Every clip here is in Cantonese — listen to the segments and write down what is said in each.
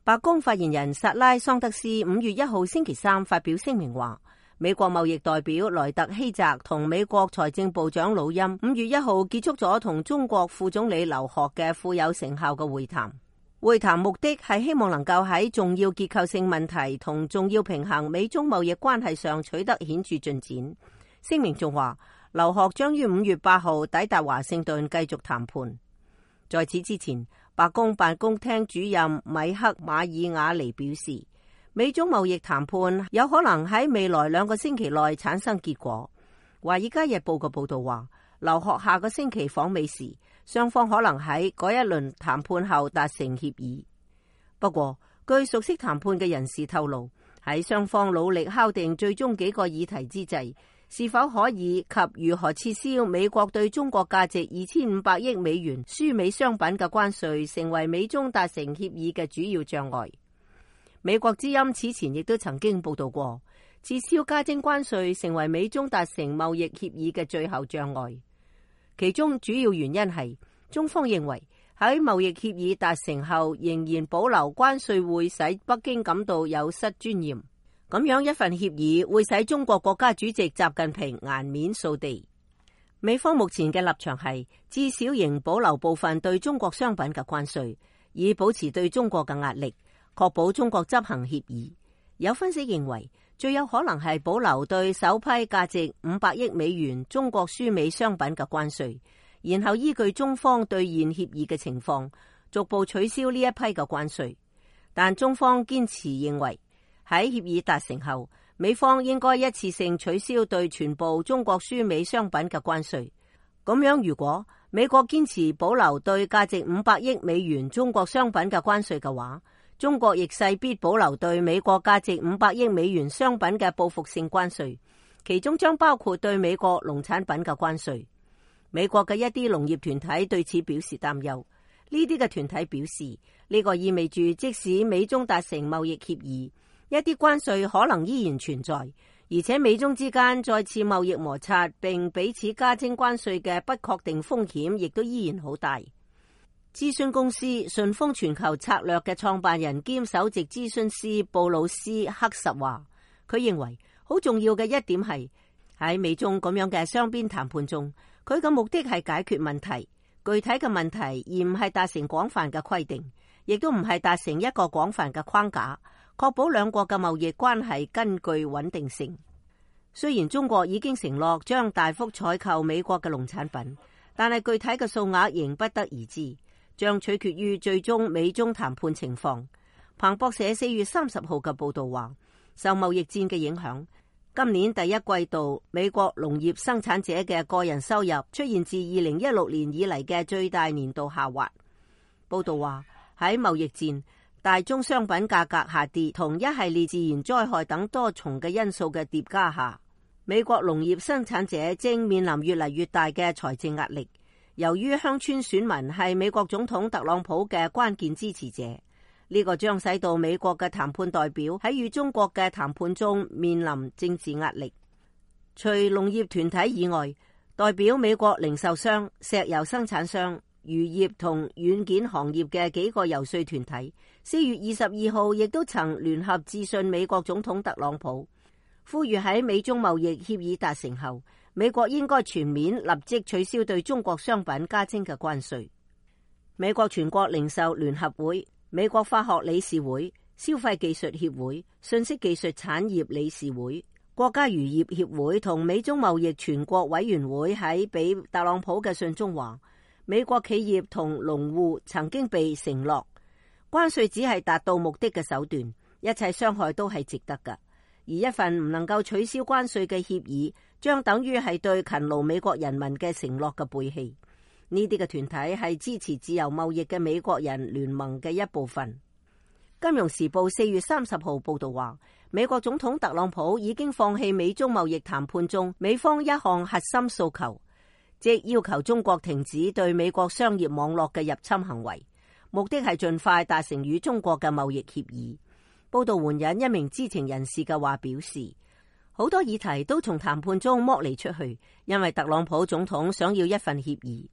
白宮發言人薩拉桑德斯5月1號星期三發表聲明話，美國貿易代表萊特希澤同美國財政部長魯欽5月1號結束咗同中國副總理劉鶴嘅富有成效嘅會談。會談目的係希望能夠喺重要結構性問題同重要平衡美中貿易關係上取得顯著進展。聲明仲話，劉鶴將於5月8號抵達華盛頓繼續談判。在此之前，白宮辦公廳主任米克馬爾瓦尼表示，美中貿易談判有可能喺未來2個星期內產生結果。華爾街日報嘅報道話，劉鶴下個星期訪美時，雙方可能喺嗰一輪談判後達成協議。不過，據熟悉談判嘅人士透露，喺雙方努力敲定最終幾個議題之際，是否可以及如何撤銷美國對中國價值2500億美元輸美商品嘅關稅，成為美中達成協議嘅主要障礙。美國之音此前亦都曾經報道過，撤銷加徵關稅成為美中達成貿易協議嘅最後障礙。其中主要原因係中方認為喺貿易協議達成後，仍然保留關稅會使北京感到有失尊嚴。咁樣一份協議會使中國國家主席習近平顏面掃地。美方目前嘅立場係至少仍保留部分對中國商品嘅關稅，以保持對中國嘅壓力，確保中國執行協議。有分析認為，最有可能係保留對首批價值500億美元中國輸美商品嘅關稅，然後依據中方兌現協議嘅情況，逐步取消呢一批嘅關稅。但中方堅持認為，喺協議達成後，美方應該一次性取消對全部中國輸美商品嘅關稅。咁樣，如果美國堅持保留對價值500億美元中國商品嘅關稅嘅話，中國亦勢必保留對美國價值500億美元商品嘅報復性關稅，其中將包括對美國農產品嘅關稅。美國嘅一啲農業團體對此表示擔憂。呢啲嘅團體表示，呢個意味住即使美中達成貿易協議，一啲關稅可能依然存在，而且美中之間再次貿易摩擦並彼此加徵關稅嘅不確定風險亦都依然好大。諮詢公司順豐全球策略嘅創辦人兼首席諮詢師布魯斯克實話，佢認為好重要嘅一點係喺美中咁樣嘅雙邊談判中，佢嘅目的係解決問題，具體嘅問題，而唔係達成廣泛嘅規定，亦都唔係達成一個廣泛嘅框架，確保兩國嘅貿易關係根據穩定性。雖然中國已經承諾將大幅採購美國嘅農產品，但係具體嘅數額仍不得而知，將取決於最終美中談判情況。彭博社4月30號嘅報道話，受貿易戰嘅影響，今年第一季度美國農業生產者嘅個人收入出現自2016年以嚟嘅最大年度下滑。報道話，喺貿易戰、大宗商品價格下跌同一系列自然災害等多重嘅因素嘅疊加下，美國農業生產者正面臨越嚟越大嘅財政壓力。由於鄉村選民係美國總統特朗普嘅關鍵支持者，呢個將使到美國嘅談判代表喺與中國嘅談判中面臨政治壓力。除農業團體以外，代表美國零售商、石油生產商、漁業同軟件行業嘅幾個游說團體4月22號亦都曾聯合致信美國總統特朗普，呼籲喺美中貿易協議達成後，美國應該全面立即取消對中國商品加徵嘅關稅。美國全國零售聯合會、美國化學理事會、消費技術協會、信息技術產業理事會、國家漁業協會同美中貿易全國委員會喺俾特朗普嘅信中話，美國企業同農戶曾經被承諾，關稅只係達到目的嘅手段，一切傷害都係值得㗎。而一份唔能夠取消關稅嘅協議，將等於係對勤勞美國人民嘅承諾嘅背棄。呢啲嘅團體係支持自由貿易嘅美國人聯盟嘅一部分。金融時報4月30號報道話，美國總統特朗普已經放棄美中貿易談判中美方一項核心訴求，即要求中國停止對美國商業網絡嘅入侵行為，目的係盡快達成與中國嘅貿易協議。報道援引一名知情人士嘅話表示，好多議題都從談判中剝離出去，因為特朗普總統想要一份協議。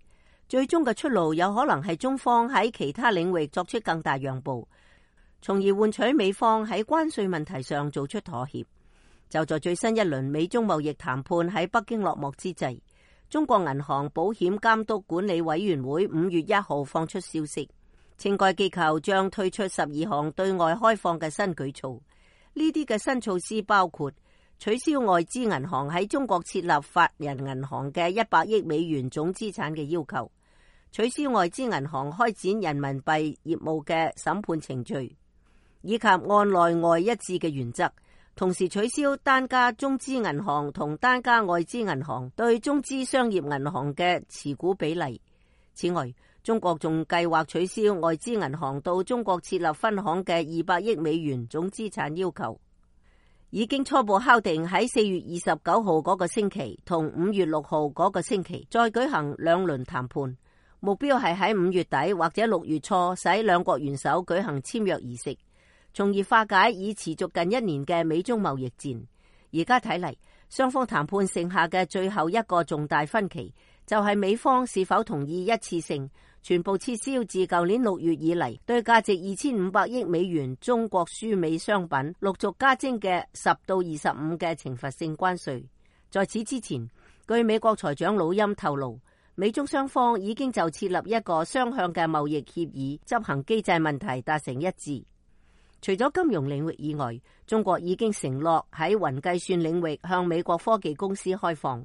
最終嘅出路有可能係中方喺其他領域作出更大讓步，從而換取美方喺關稅問題上做出妥協。就在最新一輪美中貿易談判喺北京落幕之際，中國銀行保險監督管理委員會5月1號放出消息，稱該機構將推出12項對外開放嘅新舉措。呢啲嘅新措施包括取消外資銀行喺中國設立法人銀行嘅100億美元總資產嘅要求，取消外資銀行開展人民幣業務嘅審判程序，以及按內外一致嘅原則，同時取消單家中資銀行同單家外資銀行對中資商業銀行嘅持股比例。此外，中國仲計劃取消外資銀行到中國設立分行嘅200億美元總資產要求。已經初步敲定喺4月29號嗰個星期同5月6號嗰個星期再舉行2輪談判，目標係喺5月底或者6月初使兩國元首舉行簽約儀式，從而化解已持續近1年嘅美中貿易戰。而家睇嚟，雙方談判剩下嘅最後一個重大分歧，就係美方是否同意一次性全部撤銷自舊年6月以嚟對價值2500億美元中國輸美商品陸續加徵嘅10到25嘅懲罰性關稅。在此之前，據美國財長魯欽透露，美中雙方已經就設立一個雙向嘅貿易協議執行機制問題達成一致。除咗金融領域以外，中國已經承諾喺雲計算領域向美國科技公司開放。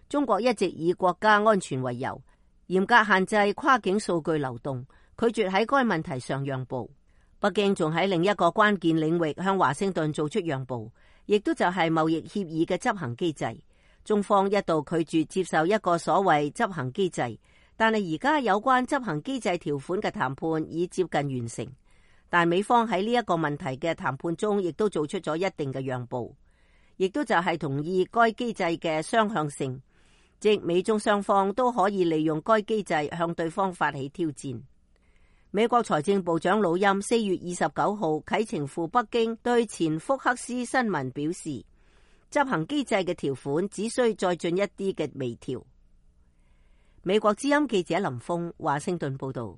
中國一直以國家安全為由，嚴格限制跨境數據流動，拒絕喺該問題上讓步。北京仲喺另一個關鍵領域向華盛頓做出讓步，亦都就係貿易協議嘅執行機制。中方一度拒絕接受一個所謂執行機制，但係而家有關執行機制條款嘅談判已接近完成。但美方喺呢一個問題嘅談判中，亦都做出咗一定嘅讓步，亦都就係同意該機制嘅雙向性，即美中雙方都可以利用該機制向對方發起挑戰。美國財政部長魯欽4月29號啟程赴北京，對前福克斯新聞表示，執行機制嘅條款只需再進一啲嘅微調。美國之音記者林峰華盛頓報道。